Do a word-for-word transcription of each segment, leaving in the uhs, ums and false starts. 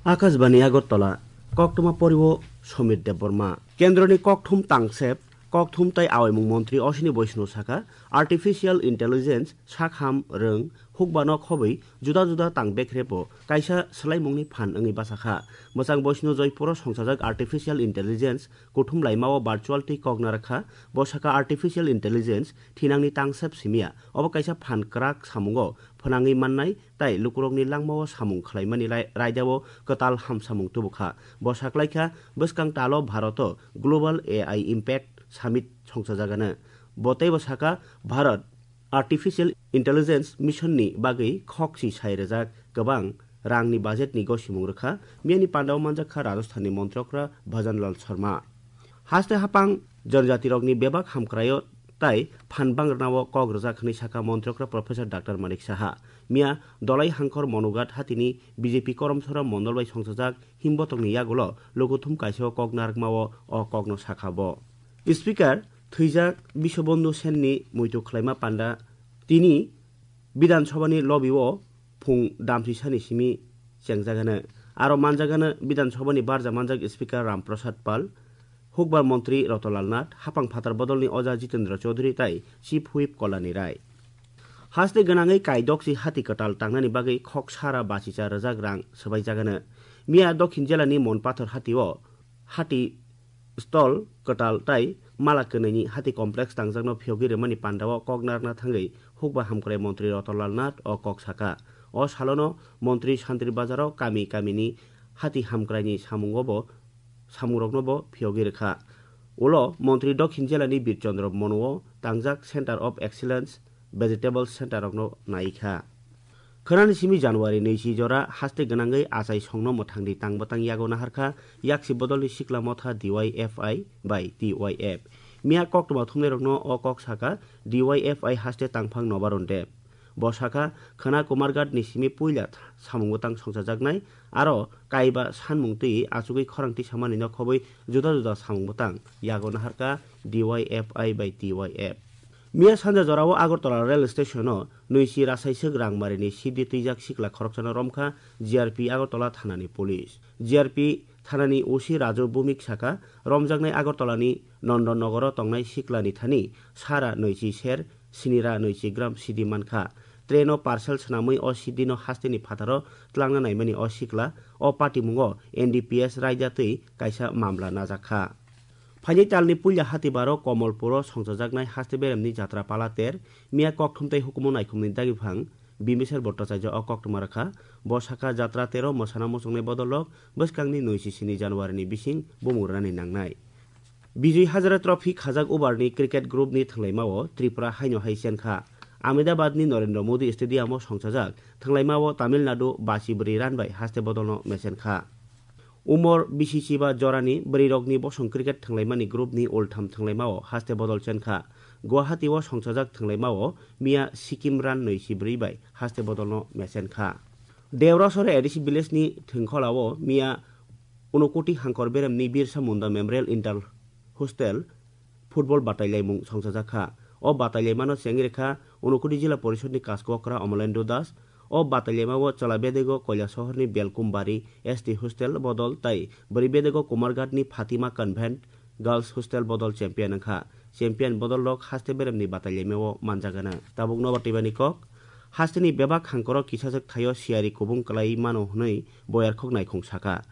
Akashbani Agartala, koktwma poriwo Somir Debbarma. Kendroni kokthum tangsep, kokthum tai awaimung montri Ashwini Vaishnaw saka, artificial intelligence, sakham, rwng, hukbano khobwi juda juda tang bekrepbo kaisa swlaimungni phan wngwi bachakha. Mwchang Vaishnaw Joypuro songchajak artificial intelligence kuthum laimao virtual twi kok narwkha. Bo saka artificial intelligence thinangni tangsep simiya. Obo kaisa phan kwrak samungo phnangwi mannai tai lukurokni langmao samung khlaimani lai-, raidao kwtal hamsamung tubukha. Bo saklaikha, bwskang talo Bharoto Global A I Impact Summit songchajagano. Bo teibo saka, Bharat Artificial Intelligence Mission ni bagwi khok si sai rwjak kwbang rangni budget ni gosimung rwkha, miyani pandao manjakha Rajasthan ni Montrokra Bhajan Lal Sharma. Haste hapang janajatirokni bebak hamkraio tai phan bangrwnao kok rwjak hwnwi sakha Montrokra Professor Doctor Manik Saha. Miya Dolai Hangkhor Monugat hatini B J P Koromsora Mondol bai songchajak himbotokni yagulo lukuthum kaisao kok narwkmao o kokno sakha bo. Speaker thwijak Biswabandhu Senni muitu khlaima panda tini Bidhan Sabhani lobby-o phung damsi sani simi chengjagano. Aro manjagano Bidhan Sabhani barja manjak Speaker Ram Prasad Pal, Hukbar Montri Ratan Lal Nath, Hapang Phatar Bodolni Oja Jitendra Chaudhary tai Chief Whip Kalyani Rai. Haste gwnangwi kaidoksi hati kwtal tangnani bagwi khok sara bachicha rwjak rang swbaijagano. Miya Dokhin Jelani Monpathor hatio hati stall kwtal tai mala kwnwini hati complex tangjakno phiyogwi rwmani pandao kok narwkna thangwi hukba hamkrai montri Ratan Lal Nath o kok saka. O salono montri Santri Bazaro kami kamini hati hamkraini samungo bo, samungrokno bo phiyogwi rwkha. Ulo montri Dokhin Jelani Bir Chandra Monuo tangjak Center of Excellence Vegetable Center rokno nai kha. Khwnani simi January naichi jora haste gwnangwi achai songno mwthangni tang bwtang yago naharkha yaksi bodolni sikla motha D Y F I bai T Y F. Miya koktwma thumnairokno o kok saka D Y F I haste tangphang Nobaron Deb. Bo sakha, khwna Kumarghat ni simi puila th-, samung bwtang songchajaknai, aro kaiba sanmung twi achugwi khorang tisamani no khobwi juda juda samung bwtang yago naharkha D Y F I bai T Y F. Miya sanja jorao Agartala rail station-o nwichi rasaiswk rangmarini sidi twijak sikla khoroksano romkha G R P Agartala thanani police. G R P thanani O C Raju Bhumik sakha, romjaknai Agartalani Nondon Nogoro tongnai siklani thani sara nwichi ser, sinira nwichi gram sidi mankha. Train-o parcel swnamwi o sidino hasteni phataro tlangna naimani o sikla, o patimungo N D P S raida twi kaisa mamla najakha. Phaini talni puila hatibaro Komolpuro songchajaknai haste beremni jatra pala ter, miya kokthum tei hukumu naikhumni dagiphang Bimbisar Bhattacharya o koktwma rwkha. Bo sakha, jatra tero mwsana muchungnai bodolrok bwskangni nwichi sini January ni bising bumung rwnani nangnai. Bijoy Hazare Trophy khajak overni cricket groupni thwnglaimao Tripura haino hai chenkha. Ahmedabadni Narendra Modi Stadium-o songchajak thwnglaimao Tamil Nadu basi bwrwi run bai haste bodolno mechenkha. Umor bisi chiba jorani bwrwirokni bosong cricket thwnglaimani groupni ultham thwnglaimao haste bodol chenkha. Guwahati-o songchajak thwnglaimao miya Sikkim run nwichi bwrwi bai haste bodolno mechenkha. Deorasore A D C village-ni thwngkhwlao miya Unokoti Hangkor beremni Birsa Munda Memorial Inter Hostel football batailaimung songchajakha. O batailaimano chengwi rwkha Unokoti Jila Porishodni Kaskokra Omolendu Das. O batailaimao chwla bedego Koilasohorni Belkumbari S T Hostel bodol tai bwrwi bedego Kumarghatni Fatima Convent Girls Hostel bodol champion wngkha. Champion bodolrok haste beremni batailaimao manjagana. Tabuk nobar twibani kok. Hasteni bebak hangkoro kisajwk thaio siyari kubung kwlai mano hwnwi boyarkhok naikhung sakha.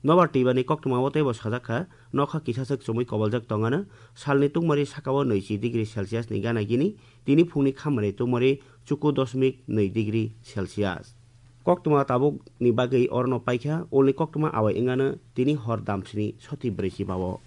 Nobar twibani koktwmao teibo sajakha, nokha kisajwk chumui koboljak tongano, salni tungmari sakao nwichi degree Celsius ni gana gini, tini phungni khamani tungmari chuku dosmik nwi degree Celsius. Koktwma tabukni bagwi orono paikha, ulni koktwma awai wngano tini hor damsini soti brwi chibao.